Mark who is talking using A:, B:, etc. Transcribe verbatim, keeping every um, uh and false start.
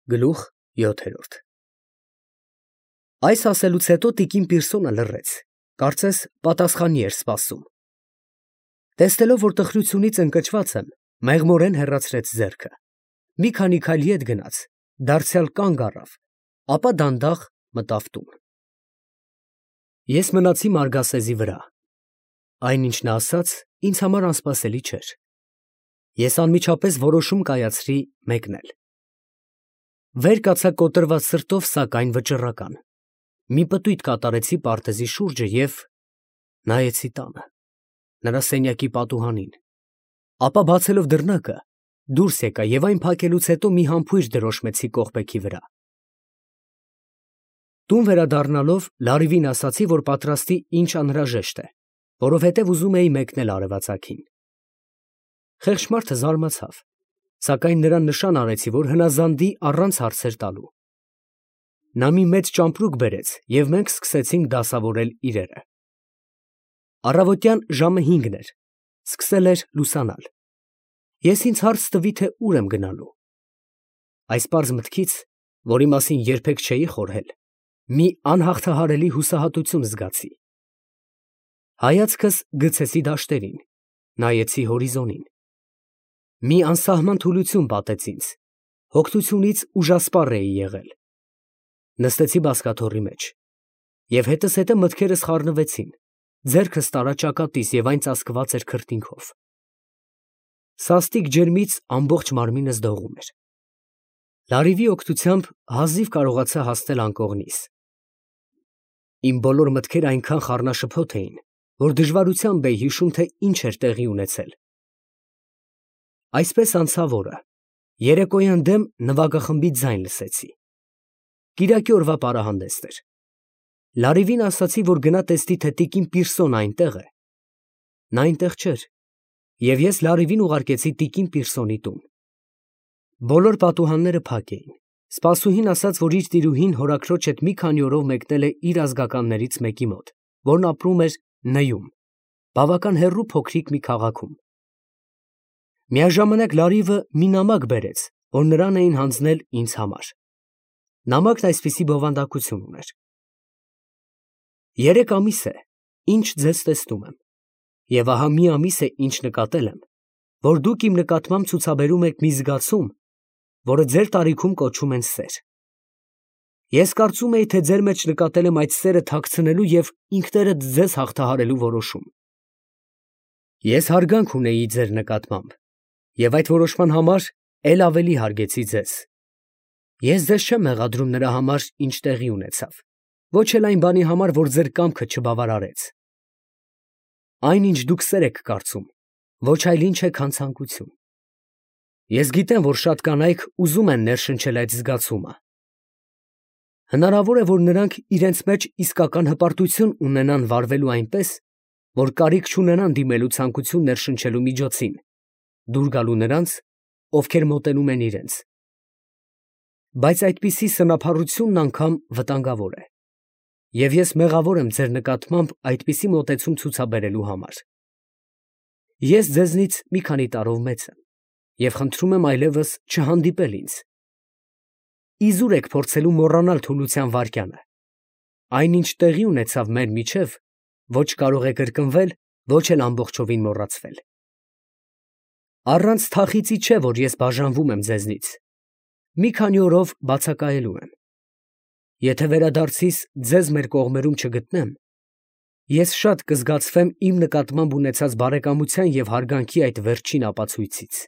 A: Գլուխ յոթերորդ Այս ասելուց հետո տիկին Պիրսոնը լռեց, կարծես պատասխանի էր սպասում։ Տեսնելով, որ տխրությունից ընկճված եմ, մեղմորեն հեռացրեց ձեռքը, մի քանի քայլ ետ գնաց, դարձյալ կանգ առավ, ապա դանդաղ մտավ տուն։ Ես մնացի մարգասեզի վրա, այն ինչ նա ասաց, ինձ համար անսպասելի չէր։ Ես անմիջապես որոշում կայացրի մեկնել։ Վեր կացա կոտրված սրտով, սակայն վճռական, մի պտույտ կատարեցի պարտեզի շուրջը և նայեցի տանը, նրա սենյակի պատուհանին, ապա բացելով դռնակը, դուրս եկա և այն փակելուց հետո մի համբույր դրոշմեցի կողպեքի վրա։ Տուն վերադառնալով Լարիվին ասացի, որ պատրաստի ինչ անհրաժեշտ է, որովհետև ուզում էի մեկնել արևածագին։ Խեղճ մարդը զարմացավ, սակայն նրան նշան արեցի, որ հնազանդի առանց հարցեր տալու։ Նա մի մեծ ճամպրուկ բերեց, և մենք սկսեցինք դասավորել իրերը։ Առավոտյան ժամը հինգն էր, սկսել էր լուսանալ։ Ես ինձ հարց տվի, թե ուր եմ գնալու։ Այս պարզ մտքից, որի մասին երբեք չէի խորհել, մի անհաղթահարելի հուսահատություն զգացի։ Հայացքս գցեցի դաշտերին, նայեցի հորիզոնին։ Մի անսահման թուլություն պատեց ինձ, հոգնությունից ուժասպառ էի եղել։ Նստեցի բազկաթոռի մեջ, և հետզհետե մտքերս խառնվեցին, ձեռքս տարա ճակատիս և այն ծածկված էր քրտինքով։ Սաստիկ ջերմից ամբողջ մարմինս դողում էր։ Լարիվի օգնությամբ հազիվ կարողացա հասնել անկողնիս։ Իմ բոլոր մտքերը այնքան խառնաշփոթ էին, որ դժվարությամբ էի հիշում, թե ինչ էր տեղի ունեցել։ Այսպես անցավ օրը, երեկոյան դեմ նվագախմբի ձայն լսեցի։ Կիրակի օրվա պարահանդեսն էր։ Լարիվին ասացի, որ գնա տեսնի, թե տիկին Պիրսոնը այնտեղ է։ Նա այնտեղ չէր, և ես Լարիվին ուղարկեցի տիկին Պիրսոնի տուն։ Բոլոր պատուհանները փակ էին։ Սպասուհին ասաց, որ իր տիրուհին հորաքրոջ հետ մի քանի օրով մեկնել է իր ազգականներից մեկի մոտ, որն ապրում էր Ն֊ում, բավական հեռու փոքրիկ մի քաղաքում։ Միաժամանակ Լարիվը մի նամակ բերեց, որ նրան էին հանձնել ինձ համար։ Նամակն այսպիսի բովանդակություն ուներ. Երեք ամիս է, ինչ ձեզ տեսնում եմ, և ահա մի ամիս է, ինչ նկատել եմ, որ դուք իմ նկատմամբ ցուցաբերում եք մի զգացում, որը ձեր տարիքում կոչում են սեր։ Ես կարծում էի, թե ձեր մեջ նկատել եմ այդ սերը թաքցնելու և ինքներդ ձեզ հաղթահարելու որոշում։ Ես հարգանք ունեի ձեր նկատմամբ, և այդ որոշման համար էլ ավելի հարգեցի ձեզ։ Ես ձեզ չեմ մեղադրում նրա համար, ինչ տեղի ունեցավ, ոչ էլ այն բանի համար, որ ձեր կամքը չբավարարեց։ Այն, ինչ դուք սեր եք կարծում, ոչ այլ ինչ է, քան ցանկություն։ Ես գիտեմ, որ շատ կանայք ուզում են ներշնչել այդ զգացումը։ Հնարավոր է, որ նրանք իրենց մեջ իսկական հպարտություն ունենան վարվելու այնպես, որ կարիք չունենան դիմելու ցանկություն ներշնչելու միջոցին, դուր գալու նրանց, ովքեր մոտենում են իրենց։ Բայց այդպիսի սնափառությունն անգամ վտանգավոր է, և ես մեղավոր եմ ձեր նկատմամբ այդպիսի մոտեցում ցուցաբերելու համար։ Ես ձեզնից մի քանի տարով մեծ եմ, և խնդրում եմ այլևս չհանդիպել ինձ։ Իզուր եք փորձելու մոռանալ թուլության վայրկյանը։ Այն, ինչ տեղի ունեցավ մեր միջև, ոչ կարող է կրկնվել, ոչ էլ ամբողջովին մոռացվել։ Առանց թախիծի չէ, որ ես բաժանվում եմ ձեզնից, մի քանի օրով բացակայելու եմ։ Եթե վերադարձիս ձեզ մեր կողմերում չգտնեմ, ես շատ կզգացվեմ իմ նկատմամբ ունեցած բարեկամության և հարգանքի այդ վերջին ապացույցից։